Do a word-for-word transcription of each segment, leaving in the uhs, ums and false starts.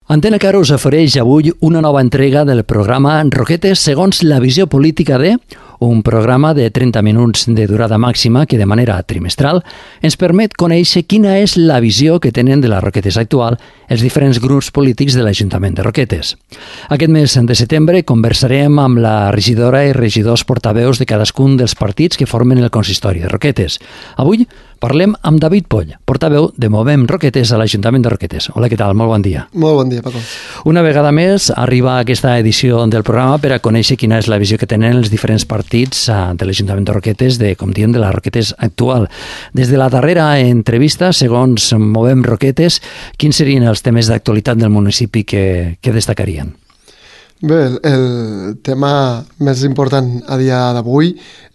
Antena Caro us ofereix avui una nova entrega del programa Roquetes segons la visió política de... un programa de trenta minuts de durada màxima que de manera trimestral ens permet conèixer quina és la visió que tenen de la Roquetes actual els diferents grups polítics de l'Ajuntament de Roquetes. Aquest mes de setembre conversarem amb la regidora i regidors portaveus de cadascun dels partits que formen el consistori de Roquetes. Avui parlem amb David Poll, portaveu de Movem Roquetes a l'Ajuntament de Roquetes. Hola, què tal? Molt bon dia. Molt bon dia, Paco. Una vegada més arriba aquesta edició del programa per a conèixer quina és la visió que tenen els diferents partits de l'Ajuntament de Roquetes, de, com diem, de la Roquetes actual. Des de la darrera entrevista, segons Movem Roquetes, quins serien els temes d'actualitat del municipi que, que destacarien? Bé, el, el tema més important a dia d'avui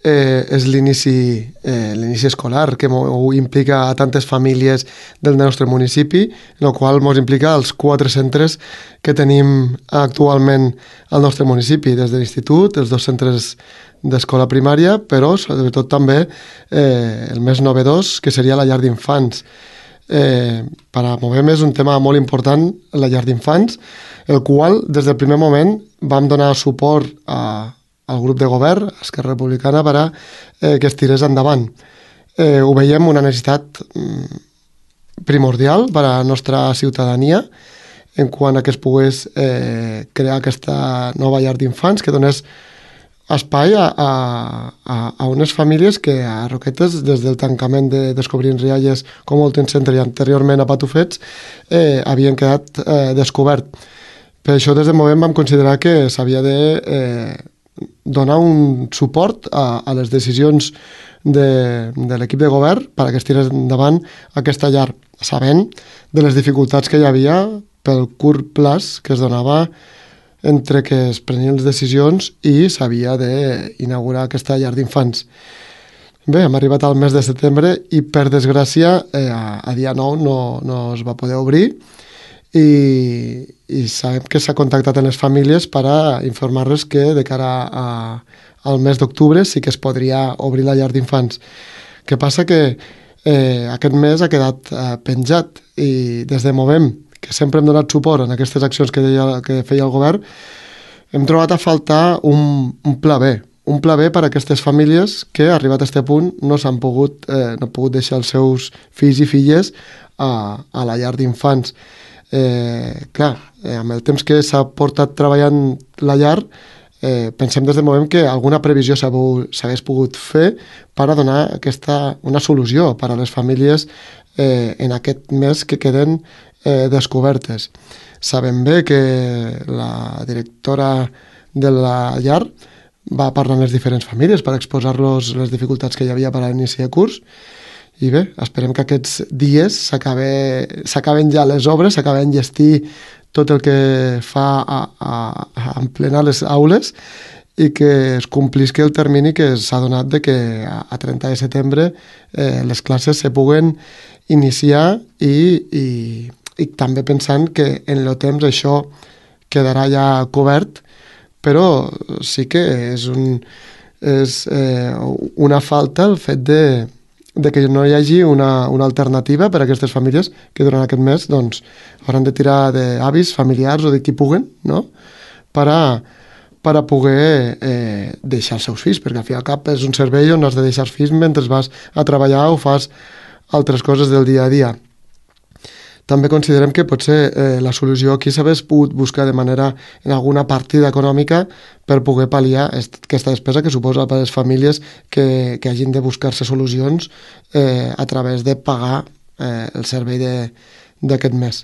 eh, és l'inici eh, l'inici escolar, que implica a tantes famílies del nostre municipi, en el qual ens implica els quatre centres que tenim actualment al nostre municipi, des de l'institut, els dos centres d'escola primària, però sobretot també eh, el més novedós, que seria la llar d'infants. Eh, per a Movem és un tema molt important, la llar d'infants, el qual des del primer moment vam donar suport a, al grup de govern, Esquerra Republicana, per a eh, que es tirés endavant. Eh, ho veiem una necessitat mm, primordial per a la nostra ciutadania, en quant a que es pogués eh, crear aquesta nova llar d'infants, que donés espai a, a, a unes famílies que a Roquetes, des del tancament de Descobrint Rialles, com el centre i anteriorment a Patufets, eh, havien quedat eh, descobert. Per això des de Movem vam considerar que s'havia de eh, donar un suport a, a les decisions de, de l'equip de govern per que es tirés endavant aquesta llar, sabent de les dificultats que hi havia pel curt plaç que es donava entre que es prenien les decisions i s'havia d'inaugurar aquesta llar d'infants. Bé, hem arribat al mes de setembre i, per desgràcia, eh, a, a dia nou no, no es va poder obrir i, i sabem que s'ha contactat amb les famílies per a informar-les que de cara a, al mes d'octubre sí que es podria obrir la llar d'infants. Què passa? Que eh, aquest mes ha quedat eh, penjat i des de Movem, que sempre hem donat suport en aquestes accions que, deia, que feia el govern, hem trobat a faltar un, un pla B, un pla B per a aquestes famílies que, arribat a aquest punt, no s'han pogut, eh, no pogut deixar els seus fills i filles a, a la llar d'infants. Eh, clar, eh, amb el temps que s'ha portat treballant la llar, eh, pensem des de Movem que alguna previsió s'hagués pogut fer per a donar aquesta, una solució per a les famílies eh, en aquest mes que queden Eh, descobertes. Sabem bé que la directora de la llar va parlar amb les diferents famílies per exposar-los les dificultats que hi havia per a l'inici de curs i bé, esperem que aquests dies s'acaben ja les obres, s'acaben enllestir tot el que fa a, a, a emplenar les aules i que es complisqui el termini que s'ha donat de que a trenta de setembre eh, les classes se puguen iniciar i, i i també pensant que en el temps això quedarà ja cobert, però sí que és, un, és eh, una falta el fet de, de que no hi hagi una, una alternativa per a aquestes famílies que durant aquest mes doncs, hauran de tirar d'avis, familiars o de qui puguen, no? per, a, per a poder eh, deixar els seus fills, perquè al fi i al cap és un servei on has de deixar els fills mentre vas a treballar o fas altres coses del dia a dia. També considerem que potser eh, la solució aquí s'hagués pogut buscar de manera en alguna partida econòmica per poder pal·liar aquesta despesa que suposa per a les famílies que, que hagin de buscar-se solucions eh, a través de pagar eh, el servei d'aquest mes.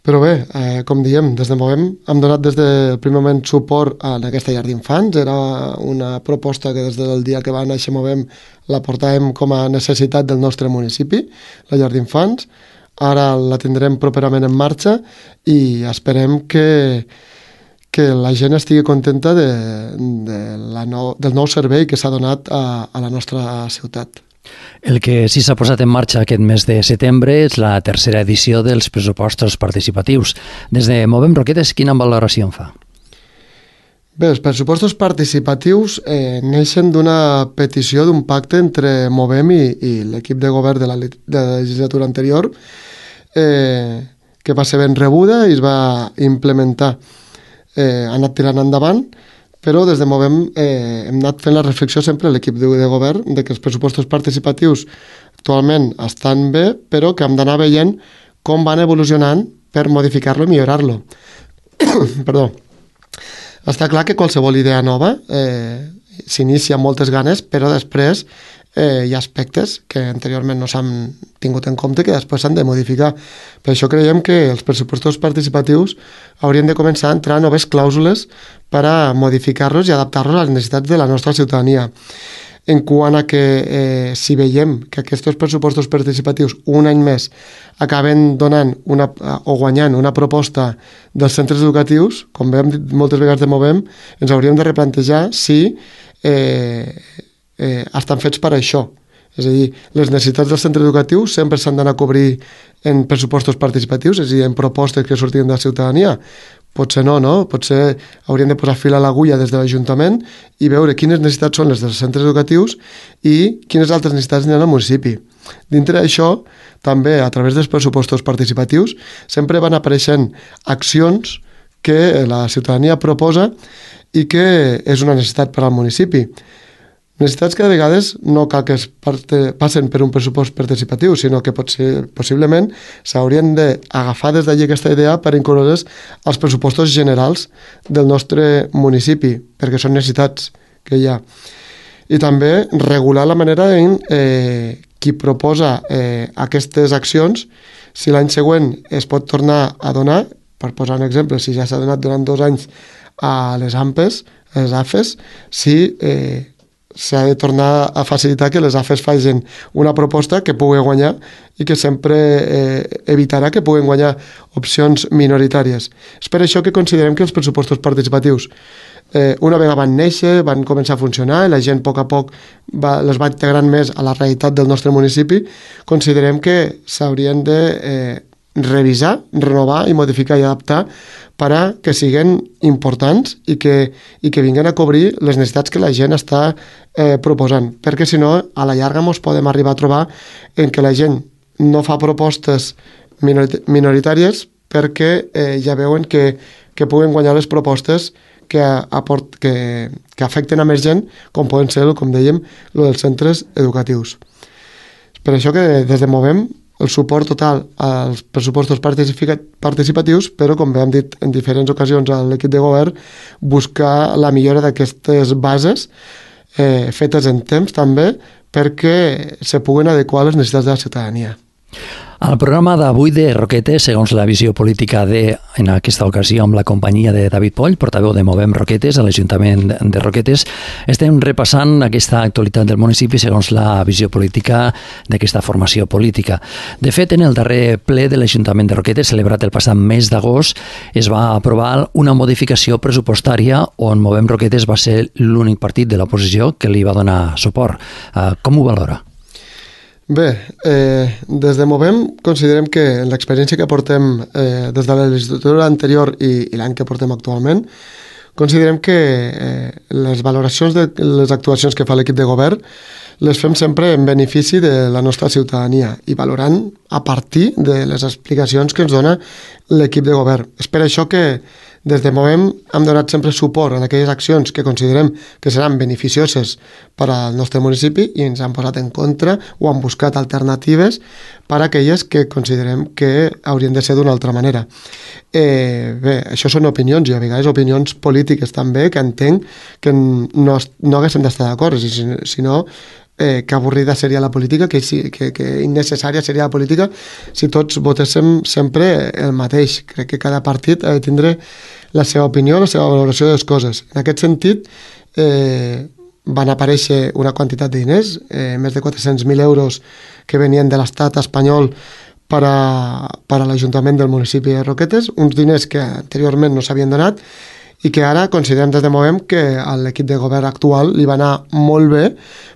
Però bé, eh, com diem, des de Movem hem donat des del primer moment suport a aquesta llar d'infants. Era una proposta que des del dia que va néixer Movem la portàvem com a necessitat del nostre municipi, la llar d'infants. Ara la tindrem properament en marxa i esperem que, que la gent estigui contenta de, de la nou, del nou servei que s'ha donat a, a la nostra ciutat. El que sí s'ha posat en marxa aquest mes de setembre és la tercera edició dels pressupostos participatius. Des de Movem Roquetes, quina valoració en fa? Bé, els pressupostos participatius eh, neixen d'una petició d'un pacte entre Movem i, i l'equip de govern de la, de la legislatura anterior, eh, que va ser ben rebuda i es va implementar. Eh, ha anat tirant endavant, però des de Movem eh, hem anat fent la reflexió sempre a l'equip de, de govern de que els pressupostos participatius actualment estan bé, però que hem d'anar veient com van evolucionant per modificar-lo i millorar-lo. Perdó. Està clar que qualsevol idea nova eh, s'inicia amb moltes ganes, però després eh, hi ha aspectes que anteriorment no s'han tingut en compte que després s'han de modificar. Per això creiem que els pressupostos participatius haurien de començar a entrar noves clàusules per a modificar-los i adaptar-los a les necessitats de la nostra ciutadania. En quant a que eh, si veiem que aquests pressupostos participatius un any més acaben donant una, o guanyant una proposta dels centres educatius, com hem dit moltes vegades de Movem, ens hauríem de replantejar si eh, eh, estan fets per això. És a dir, les necessitats del centre educatiu sempre s'han d'anar a cobrir en pressupostos participatius, és a dir, en propostes que sortien de la ciutadania. Potser no, no? Potser hauríem de posar fil a l'agulla des de l'Ajuntament i veure quines necessitats són les dels centres educatius i quines altres necessitats n'hi ha al municipi. Dintre d'això, també a través dels pressupostos participatius, sempre van apareixent accions que la ciutadania proposa i que és una necessitat per al municipi. Necessitats que de vegades no cal que es parte, passen per un pressupost participatiu, sinó que potser, possiblement s'haurien d'agafar des d'allí aquesta idea per incloure-les als pressupostos generals del nostre municipi, perquè són necessitats que hi ha. I també regular la manera en eh, qui proposa eh, aquestes accions, si l'any següent es pot tornar a donar, per posar un exemple, si ja s'ha donat durant dos anys a les A M P Es, a les A F Es, si eh, s'ha de tornar a facilitar que les A F Es facin una proposta que pugui guanyar i que sempre eh, evitarà que puguen guanyar opcions minoritàries. És per això que considerem que els pressupostos participatius eh, una vegada van néixer, van començar a funcionar i la gent a poc a poc va, les va integrant més a la realitat del nostre municipi, considerem que s'haurien de eh, revisar, renovar i modificar i adaptar per a que siguin importants i que, i que vinguin a cobrir les necessitats que la gent està eh, proposant, perquè si no, a la llarga ens podem arribar a trobar en què la gent no fa propostes minoritàries perquè eh, ja veuen que, que puguen guanyar les propostes que, aport, que, que afecten a més gent, com poden ser, com dèiem, el dels centres educatius. És per això que des de Movem el suport total als pressupostos participatius, però, com bé hem dit en diferents ocasions a l'equip de govern, buscar la millora d'aquestes bases eh, fetes en temps també perquè se puguen adequar a les necessitats de la ciutadania. Al programa d'avui de Roquetes, segons la visió política de, en aquesta ocasió, amb la companyia de David Poll, portaveu de Movem Roquetes, a l'Ajuntament de Roquetes, estem repassant aquesta actualitat del municipi segons la visió política d'aquesta formació política. De fet, en el darrer ple de l'Ajuntament de Roquetes, celebrat el passat mes d'agost, es va aprovar una modificació pressupostària on Movem Roquetes va ser l'únic partit de l'oposició que li va donar suport. Com ho valora? Bé, eh, des de Movem considerem que en l'experiència que portem eh, des de la legislatura anterior i, i l'any que portem actualment, considerem que eh, les valoracions de les actuacions que fa l'equip de govern les fem sempre en benefici de la nostra ciutadania i valorant a partir de les explicacions que ens dona l'equip de govern. És per això que des de Movem hem donat sempre suport a aquelles accions que considerem que seran beneficioses per al nostre municipi i ens han posat en contra o han buscat alternatives per a aquelles que considerem que haurien de ser d'una altra manera. Eh, bé, això són opinions i a vegades opinions polítiques també que entenc que no, no haguéssim d'estar d'acord, sinó Eh, que avorrida seria la política, que, que, que innecessària seria la política si tots votéssim sempre el mateix. Crec que cada partit ha de tindre la seva opinió, la seva valoració de les coses. En aquest sentit, eh, van aparèixer una quantitat de diners, eh, més de quatre-cents mil euros que venien de l'estat espanyol per a, per a l'Ajuntament del municipi de Roquetes, uns diners que anteriorment no s'havien donat i que ara considerem des de Movem que a l'equip de govern actual li va anar molt bé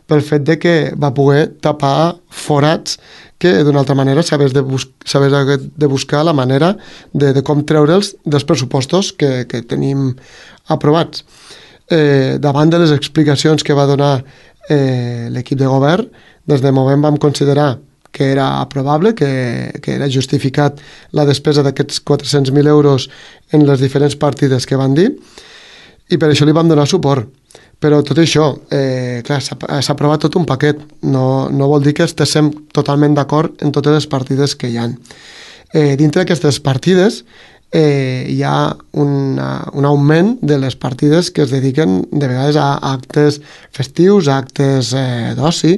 pel fet de que va poder tapar forats que d'una altra manera s'hagués de, bus de buscar la manera de, de com treure'ls dels pressupostos que, que tenim aprovats. Eh, davant de les explicacions que va donar eh, l'equip de govern, des de Movem vam considerar que era aprovable, que, que era justificat la despesa d'aquests quatre-cents mil euros en les diferents partides que van dir, i per això li vam donar suport. Però tot això, eh, clar, s'ha aprovat tot un paquet, no, no vol dir que estiguem totalment d'acord en totes les partides que hi ha. Eh, dintre d'aquestes partides eh, hi ha una, un augment de les partides que es dediquen de vegades a actes festius, a actes eh, d'oci,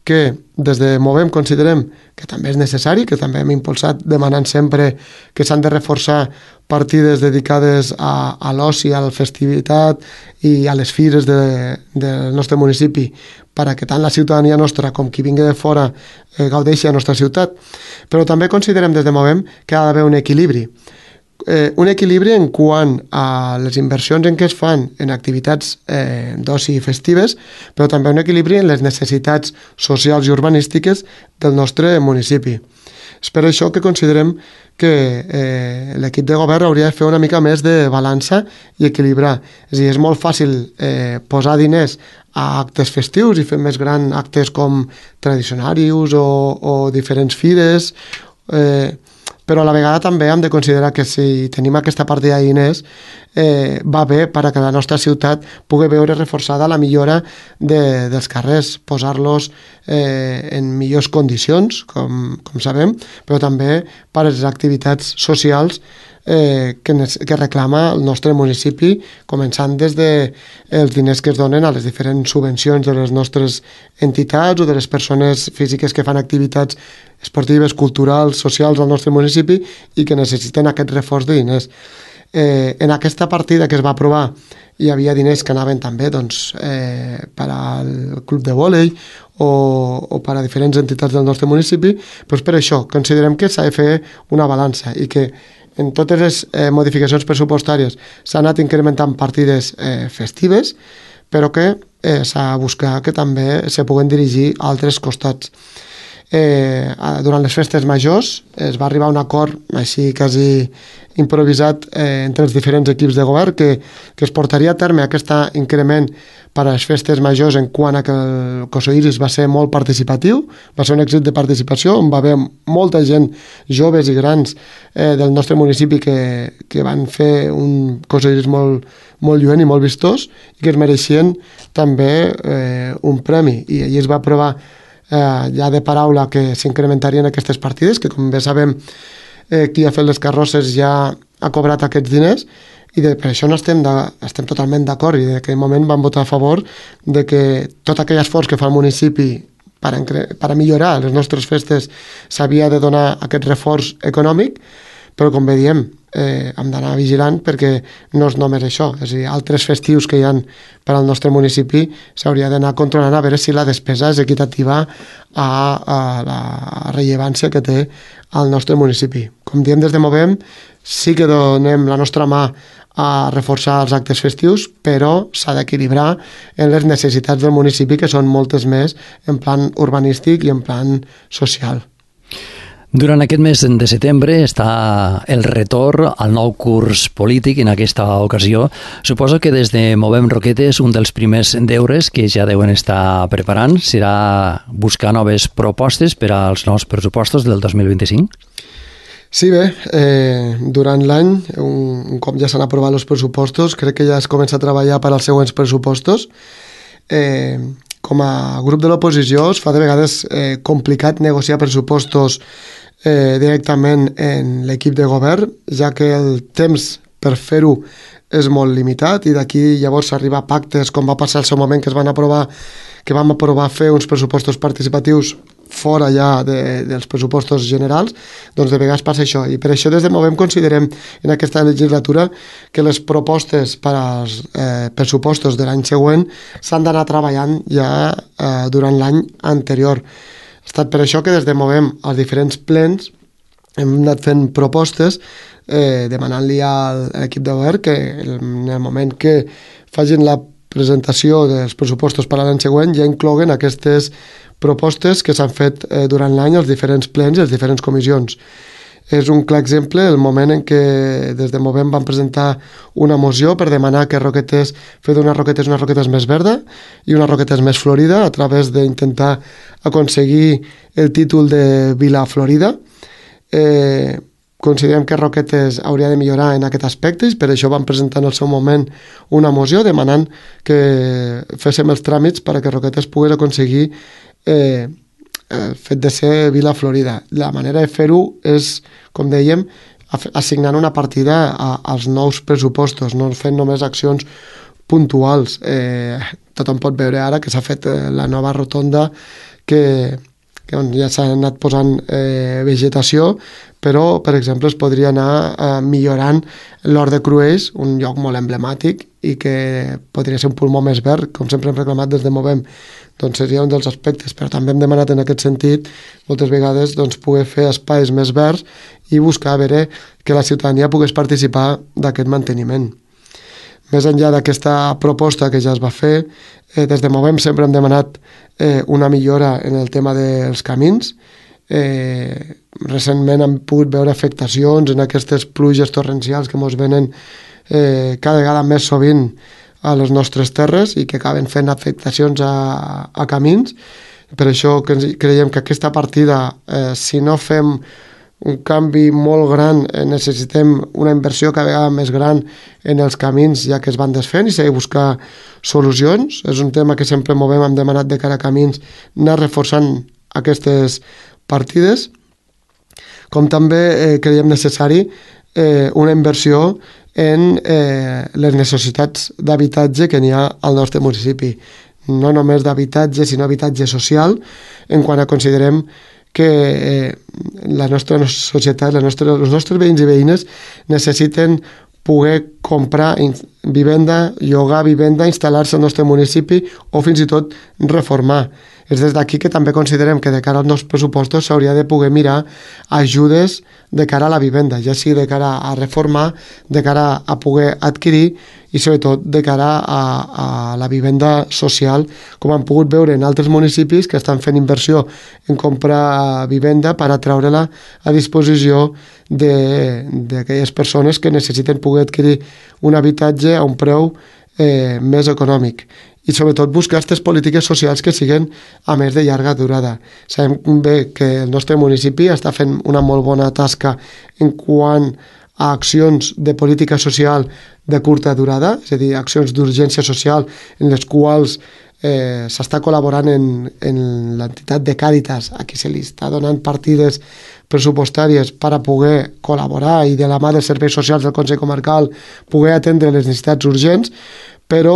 que des de Movem considerem que també és necessari, que també hem impulsat demanant sempre que s'han de reforçar partides dedicades a, a l'oci, a la festivitat i a les fires de, del nostre municipi, perquè tant la ciutadania nostra com qui vingui de fora eh, gaudeixi a la nostra ciutat. Però també considerem des de Movem que ha d'haver un equilibri. Eh, un equilibri en quant a les inversions en què es fan en activitats eh, d'oci festives, però també un equilibri en les necessitats socials i urbanístiques del nostre municipi. És per això que considerem que eh, l'equip de govern hauria de fer una mica més de balança i equilibrar. És a dir, és molt fàcil eh, posar diners a actes festius i fer més grans actes com tradicionaris o, o diferents fires, eh, però a la vegada també hem de considerar que si tenim aquesta partida de diners eh, va bé perquè la nostra ciutat pugui veure reforçada la millora de, dels carrers, posar-los eh, en millors condicions, com, com sabem, però també per a les activitats socials eh, que, que reclama el nostre municipi, començant des de els diners que es donen a les diferents subvencions de les nostres entitats o de les persones físiques que fan activitats esportives, culturals, socials al nostre municipi i que necessiten aquest reforç de diners. Eh, en aquesta partida que es va aprovar hi havia diners que anaven també doncs, eh, per al club de vòlei o, o per a diferents entitats del nostre municipi, doncs per això considerem que s'ha de fer una balança i que en totes les eh, modificacions pressupostàries s'han anat incrementant partides eh, festives, però que eh, s'ha de buscar que també se puguen dirigir a altres costats. Eh, durant les festes majors es va arribar a un acord així quasi improvisat eh, entre els diferents equips de govern que, que es portaria a terme aquest increment per a les festes majors en quant a que el Coso Iris va ser molt participatiu, va ser un èxit de participació on va haver molta gent, joves i grans eh, del nostre municipi que, que van fer un Coso Iris molt, molt lluent i molt vistós i que es mereixien també eh, un premi, i allí es va aprovar Eh, ja de paraula que s'incrementarien aquestes partides, que com bé sabem eh, qui ha fet les carrosses ja ha cobrat aquests diners, i de, per això no estem, de, estem totalment d'acord, i en aquell moment vam votar a favor de que tot aquell esforç que fa el municipi per a, per a millorar les nostres festes s'havia de donar aquest reforç econòmic, però com bé diem, eh, hem d'anar vigilant perquè no és només això, és a dir, altres festius que hi ha per al nostre municipi s'hauria d'anar controlant a veure si la despesa és equitativa a, a la rellevància que té al nostre municipi. Com diem des de Movem, sí que donem la nostra mà a reforçar els actes festius, però s'ha d'equilibrar en les necessitats del municipi, que són moltes més en plan urbanístic i en plan social. Durant aquest mes de setembre està el retorn al nou curs polític. En aquesta ocasió, suposo que des de Movem Roquetes un dels primers deures que ja deuen estar preparant serà buscar noves propostes per als nous pressupostos del dos mil vint-i-cinc. Sí, bé, eh, durant l'any, un, un cop ja s'han aprovat els pressupostos, crec que ja es comença a treballar per als següents pressupostos. Eh, com a grup de l'oposició es fa de vegades eh, complicat negociar pressupostos eh, directament en l'equip de govern, ja que el temps per fer-ho és molt limitat i d'aquí llavors s'arriba a pactes, com va passar al seu moment que es van aprovar que vam aprovar fer uns pressupostos participatius fora ja de, dels pressupostos generals, doncs de vegades passa això, i per això des de Movem considerem en aquesta legislatura que les propostes per als eh, pressupostos de l'any següent s'han d'anar treballant ja eh, durant l'any anterior. Ha estat per això que des de Movem als diferents plens hem anat fent propostes eh, demanant-li a l'equip de govern que en el moment que facin la presentació dels pressupostos per a l'any següent ja incloguen aquestes propostes que s'han fet eh, durant l'any als diferents plens i les diferents comissions. És un clar exemple el moment en què des de Movem van presentar una moció per demanar que Roquetes, fer d'unes Roquetes unes Roquetes més verda i unes Roquetes més florida a través d'intentar aconseguir el títol de Vila Florida. Eh, considerem que Roquetes hauria de millorar en aquest aspecte i per això van presentar en el seu moment una moció demanant que féssim els tràmits perquè Roquetes pogués aconseguir eh, el fet de ser Vila Florida. La manera de fer-ho és, com dèiem, assignant una partida a, als nous pressupostos, no fent només accions puntuals. Eh, tothom pot veure ara que s'ha fet eh, la nova rotonda que, que on ja s'ha anat posant eh, vegetació, però, per exemple, es podria anar eh, millorant l'Hort de Cruells, un lloc molt emblemàtic i que podria ser un pulmó més verd, com sempre hem reclamat des de Movem. Doncs seria un dels aspectes, però també hem demanat en aquest sentit moltes vegades doncs, poder fer espais més verds i buscar a veure que la ciutadania pogués participar d'aquest manteniment. Més enllà d'aquesta proposta que ja es va fer, eh, des de Movem sempre hem demanat eh, una millora en el tema dels camins. Eh, recentment hem pogut veure afectacions en aquestes pluges torrencials que ens venen eh, cada vegada més sovint a les nostres terres i que acaben fent afectacions a, a camins. Per això creiem que aquesta partida, eh, si no fem un canvi molt gran, eh, necessitem una inversió cada vegada més gran en els camins ja que es van desfent i s'ha de buscar solucions. És un tema que sempre Movem, hem demanat de cara a camins, anar reforçant aquestes partides. Com també eh, creiem necessari eh, una inversió en eh, les necessitats d'habitatge que n'hi ha al nostre municipi. No només d'habitatge, sinó habitatge social, en quant a considerem que eh, la nostra societat, la nostra, els nostres veïns i veïnes necessiten poder comprar vivenda, llogar vivenda, instal·lar-se al nostre municipi o fins i tot reformar. És des d'aquí que també considerem que de cara als nostres pressupostos s'hauria de poder mirar ajudes de cara a la vivenda, ja sigui de cara a reformar, de cara a poder adquirir i sobretot de cara a, a la vivenda social, com han pogut veure en altres municipis que estan fent inversió en comprar vivenda per atraure-la a disposició d'aquelles persones que necessiten poder adquirir un habitatge a un preu eh, més econòmic. I sobretot buscar aquestes polítiques socials que siguin a més de llarga durada. Sabem bé que el nostre municipi està fent una molt bona tasca en quant a accions de política social de curta durada, és a dir, accions d'urgència social en les quals eh, s'està col·laborant en, en l'entitat de Càritas, a qui se li està donant partides pressupostàries per a poder col·laborar i de la mà dels serveis socials del Consell Comarcal poder atendre les necessitats urgents, però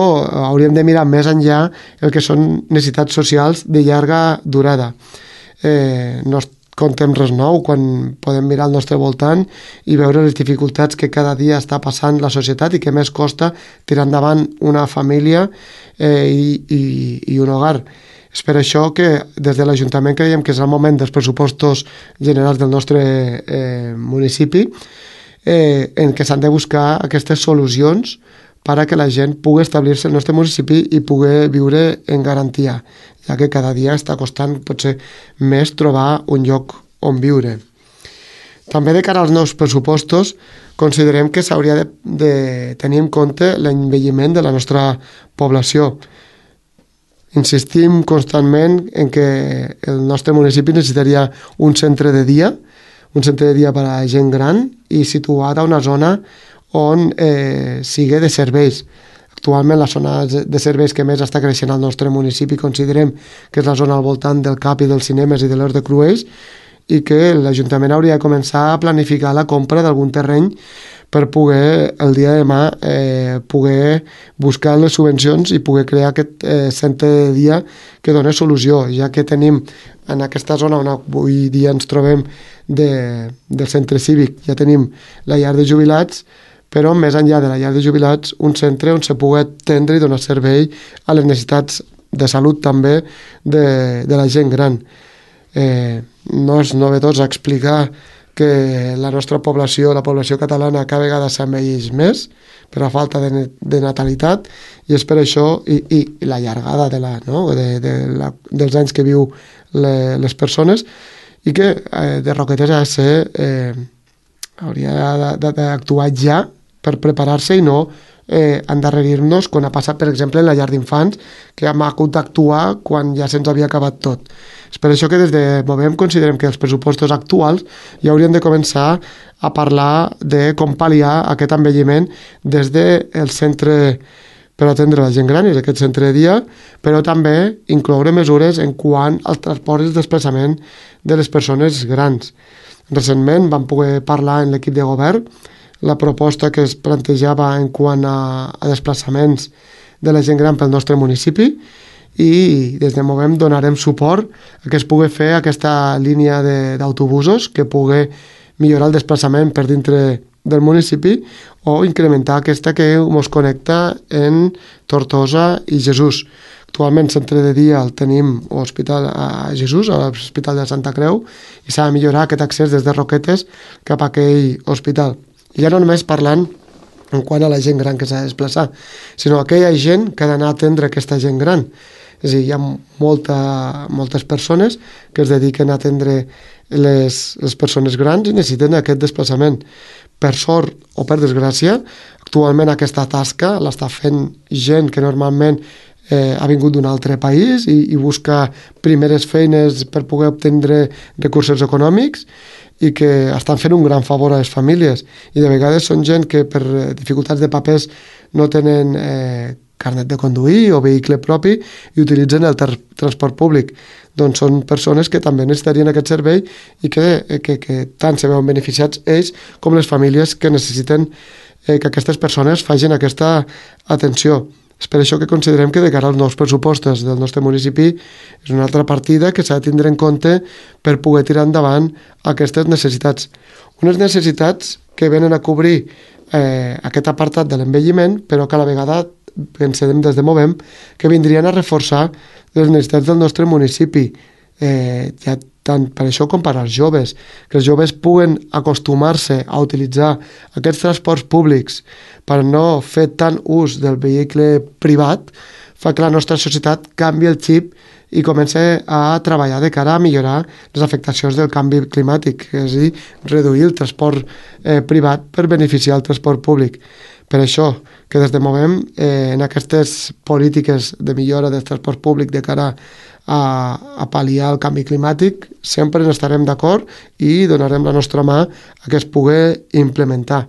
hauríem de mirar més enllà el que són necessitats socials de llarga durada. Eh, no contem res nou quan podem mirar al nostre voltant i veure les dificultats que cada dia està passant la societat i que més costa tirar endavant una família eh, i, i, i un hogar. És per això que des de l'Ajuntament creiem que és el moment dels pressupostos generals del nostre eh, municipi eh, en què s'han de buscar aquestes solucions per a que la gent pugui establir-se al nostre municipi i pugui viure en garantia, ja que cada dia està costant potser més trobar un lloc on viure. També de cara als nous pressupostos considerem que s'hauria de, de tenir en compte l'envelliment de la nostra població. Insistim constantment en que el nostre municipi necessitaria un centre de dia, un centre de dia per a gent gran i situat a una zona on eh, sigui de serveis. Actualment la zona de serveis que més està creixent al nostre municipi considerem que és la zona al voltant del C A P i dels cinemes i de l'Hort de Cruells i que l'Ajuntament hauria de començar a planificar la compra d'algun terreny per poder el dia de demà eh, poder buscar les subvencions i poder crear aquest eh, centre de dia que doni solució, ja que tenim en aquesta zona on avui dia ens trobem de, del centre cívic, ja tenim la llar de jubilats, però més enllà de la llar de jubilats, un centre on se pugui atendre i donar servei a les necessitats de salut també de, de la gent gran. Eh, no és novedós explicar que la nostra població, la població catalana, cada vegada s'envelleix més per la falta de, de natalitat i és per això, i, i, i la llargada de la, no? de, de la, dels anys que viu le, les persones i que eh, de Roquetes ha de ser eh, hauria d'actuar ja per preparar-se i no eh, endarrerir-nos quan ha passat, per exemple, en la llar d'infants, que hem hagut d'actuar quan ja se'ns havia acabat tot. És per això que des de Movem considerem que els pressupostos actuals ja haurien de començar a parlar de com pal·liar aquest envelliment des del centre per atendre la gent gran, és aquest centre de dia, però també incloure mesures en quant al transport i el desplaçament de les persones grans. Recentment vam poder parlar en l'equip de govern la proposta que es plantejava en quant a, a desplaçaments de la gent gran pel nostre municipi i des de Movem donarem suport a que es pugui fer aquesta línia d'autobusos que pugui millorar el desplaçament per dintre del municipi o incrementar aquesta que ens connecta en Tortosa i Jesús. Actualment, centre de dia el tenim a l'Hospital a Jesús, a l'Hospital de Santa Creu, i s'ha de millorar aquest accés des de Roquetes cap a aquell hospital. I ja no només parlant en quant a la gent gran que s'ha de desplaçar, sinó aquella gent que ha d'anar a atendre aquesta gent gran. És a dir, hi ha molta, moltes persones que es dediquen a atendre les, les persones grans i necessiten aquest desplaçament. Per sort o per desgràcia, actualment aquesta tasca l'està fent gent que normalment eh, ha vingut d'un altre país i, i busca primeres feines per poder obtenir recursos econòmics i que estan fent un gran favor a les famílies. I de vegades són gent que per dificultats de papers no tenen eh, carnet de conduir o vehicle propi i utilitzen el ter- transport públic. Doncs són persones que també necessitarien aquest servei i que, que, que tant se veuen beneficiats ells com les famílies que necessiten eh, que aquestes persones facin aquesta atenció. És per això que considerem que de cara als nous pressupostos del nostre municipi és una altra partida que s'ha de tindre en compte per poder tirar endavant aquestes necessitats. Unes necessitats que venen a cobrir eh, aquest apartat de l'envelliment, però que a la vegada pensem des de Movem que vindrien a reforçar les necessitats del nostre municipi, eh, ja tant per això com per als joves, que els joves puguen acostumar-se a utilitzar aquests transports públics per no fer tant ús del vehicle privat, fa que la nostra societat canvi el xip i comença a treballar de cara a millorar les afectacions del canvi climàtic, és a dir, reduir el transport eh, privat per beneficiar el transport públic. Per això que des de Movem eh, en aquestes polítiques de millora del transport públic de cara a, a pal·liar el canvi climàtic sempre estarem d'acord i donarem la nostra mà a que es pugui implementar.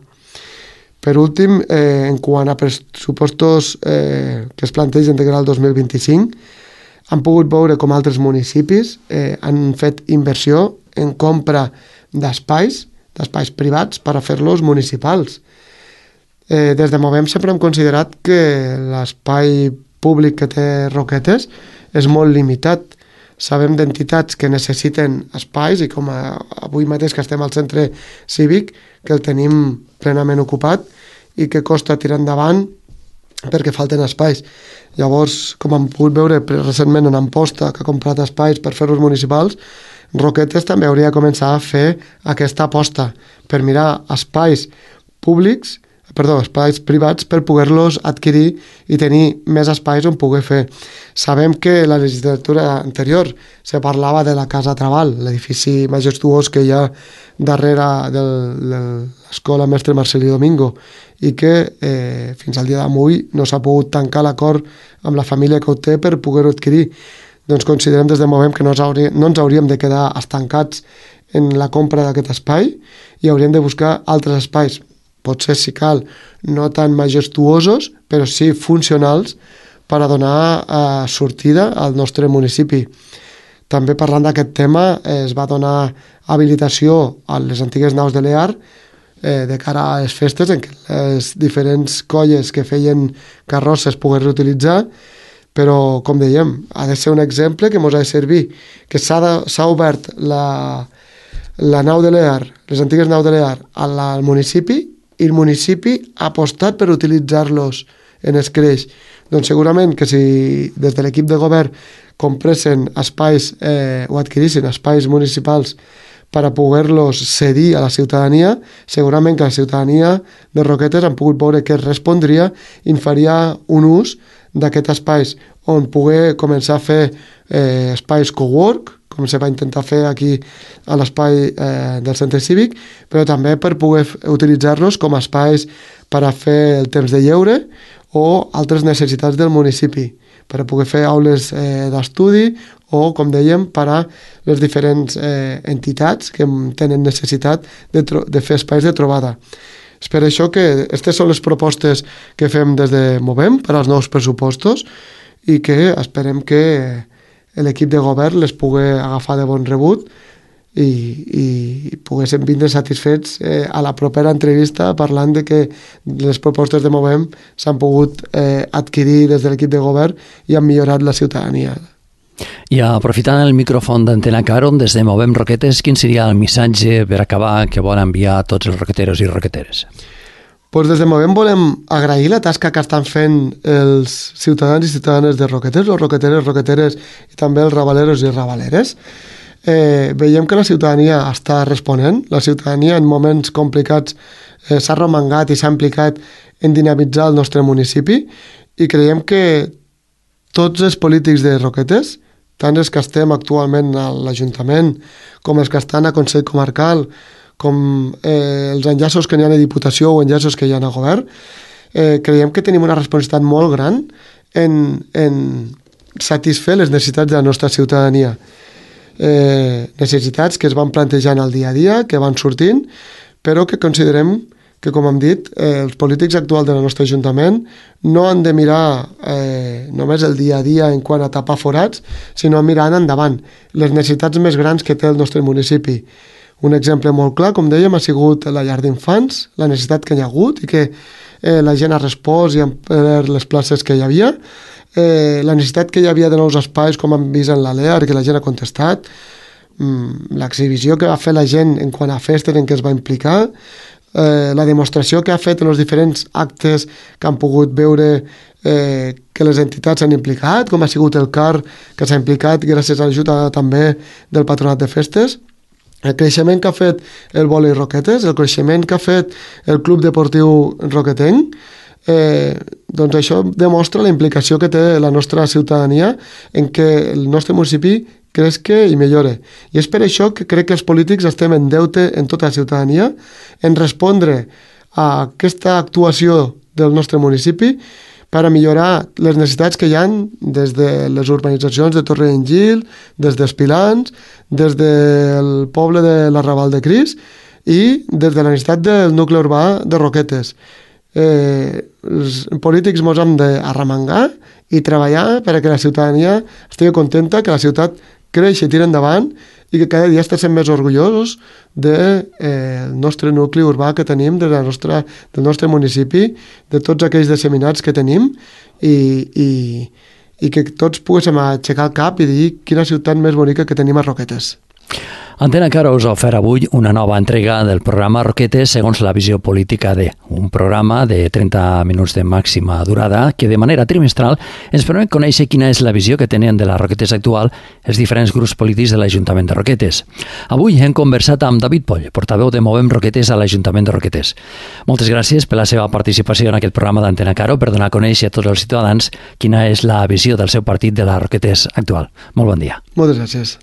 Per últim, eh, en quant a pressupostos eh, que es plantegen de cara al dos mil vint-i-cinc, han pogut veure com altres municipis eh, han fet inversió en compra d'espais, d'espais privats per a fer-los municipals. Eh, des de Movem sempre hem considerat que l'espai públic que té Roquetes és molt limitat. Sabem d'entitats que necessiten espais i com a, avui mateix que estem al centre cívic que el tenim plenament ocupat i que costa tirar endavant perquè falten espais. Llavors, com hem pogut veure recentment en Amposta, que ha comprat espais per fer-los municipals, Roquetes també hauria de començar a fer aquesta aposta per mirar espais públics perdó, espais privats per poder-los adquirir i tenir més espais on poder fer. Sabem que la legislatura anterior se parlava de la Casa Trabal, l'edifici majestuós que hi ha darrere de l'escola Mestre Marcelí Domingo i que eh, fins al dia d'avui no s'ha pogut tancar l'acord amb la família que ho té per poder-ho adquirir. Doncs considerem des de Movem que no ens, hauria, no ens hauríem de quedar estancats en la compra d'aquest espai i hauríem de buscar altres espais. Potser, si cal, no tan majestuosos, però sí funcionals per a donar eh, sortida al nostre municipi. També parlant d'aquest tema, eh, es va donar habilitació a les antigues naus de l'E A R eh, de cara a les festes en què les diferents colles que feien carrosses pogués reutilitzar, però, com dèiem, ha de ser un exemple que ens ha de servir, que s'ha obert la, la nau de l'E A R, les antigues naus de l'E A R al, al municipi, i el municipi ha apostat per utilitzar-los en escreix. Doncs segurament que si des de l'equip de govern compressen espais eh, o adquirissin espais municipals per a poder-los cedir a la ciutadania, segurament que la ciutadania de Roquetes han pogut veure que es respondria i en faria un ús d'aquests espais on poder començar a fer eh, espais cowork, com se va intentar fer aquí a l'espai eh, del centre cívic, però també per poder utilitzar-los com a espais per a fer el temps de lleure o altres necessitats del municipi, per a poder fer aules eh, d'estudi o, com dèiem, per a les diferents eh, entitats que tenen necessitat de, de fer espais de trobada. És per això que aquestes són les propostes que fem des de Movem per als nous pressupostos i que esperem que l'equip de govern les pugui agafar de bon rebut i, i poguéssim vindre satisfets eh, a la propera entrevista parlant de que les propostes de Movem s'han pogut eh, adquirir des de l'equip de govern i han millorat la ciutadania. I aprofitant el micròfon d'Antena Caro, des de Movem Roquetes, quin seria el missatge per acabar que vol enviar a tots els roqueteros i roqueteres? Pues des de Movem volem agrair la tasca que estan fent els ciutadans i ciutadanes de Roquetes, els roqueteres, roqueteres i també els rabaleros i rabaleres. Eh, veiem que la ciutadania està responent, la ciutadania en moments complicats eh, s'ha romangat i s'ha implicat en dinamitzar el nostre municipi i creiem que tots els polítics de Roquetes, tant els que estem actualment a l'Ajuntament com els que estan a Consell Comarcal, com eh, els enllaços que n'hi ha a Diputació o enllaços que hi ha a Govern, eh, creiem que tenim una responsabilitat molt gran en, en satisfer les necessitats de la nostra ciutadania. Eh, necessitats que es van plantejant al dia a dia, que van sortint, però que considerem que, com hem dit, eh, els polítics actuals del nostre Ajuntament no han de mirar eh, només el dia a dia en quant a tapar forats, sinó mirant endavant les necessitats més grans que té el nostre municipi. Un exemple molt clar, com dèiem, ha sigut la llar d'infants, la necessitat que hi ha hagut i que eh, la gent ha respost i ha omplert les places que hi havia, eh, la necessitat que hi havia de nous espais, com hem vist en l'A L E A R, que la gent ha contestat, mm, l'exhibició que va fer la gent en quant a festes en què es va implicar, eh, la demostració que ha fet en els diferents actes que han pogut veure eh, que les entitats s'han implicat, com ha sigut el C A R, que s'ha implicat gràcies a l'ajuda també del Patronat de Festes, el creixement que ha fet el vòlei Roquetes, el creixement que ha fet el Club Deportiu Roquetenc, eh, doncs això demostra la implicació que té la nostra ciutadania en què el nostre municipi creixi i millore. I és per això que crec que els polítics estem en deute en tota la ciutadania en respondre a aquesta actuació del nostre municipi per a millorar les necessitats que hi ha des de les urbanitzacions de Torrellengil, des dels Pilans, des del poble de l'Arrabal de Cris i des de la necessitat del nucli urbà de Roquetes. Eh, els polítics ens hem d'arremangar i treballar perquè la ciutadania estigui contenta, que la ciutat creixi i tira endavant i que cada dia estem més orgullosos del eh, nostre nucli urbà que tenim, de la nostra, del nostre municipi, de tots aquells disseminats que tenim i, i, i que tots poguéssim aixecar el cap i dir quina ciutat més bonica que tenim a Roquetes. Antena Caro us ha ofert avui una nova entrega del programa Roquetes segons la visió política de, un programa de trenta minuts de màxima durada que de manera trimestral ens permet conèixer quina és la visió que tenen de la Roquetes actual els diferents grups polítics de l'Ajuntament de Roquetes. Avui hem conversat amb David Poll, portaveu de Movem Roquetes a l'Ajuntament de Roquetes. Moltes gràcies per la seva participació en aquest programa d'Antena Caro per donar a conèixer a tots els ciutadans quina és la visió del seu partit de la Roquetes actual. Molt bon dia. Moltes gràcies.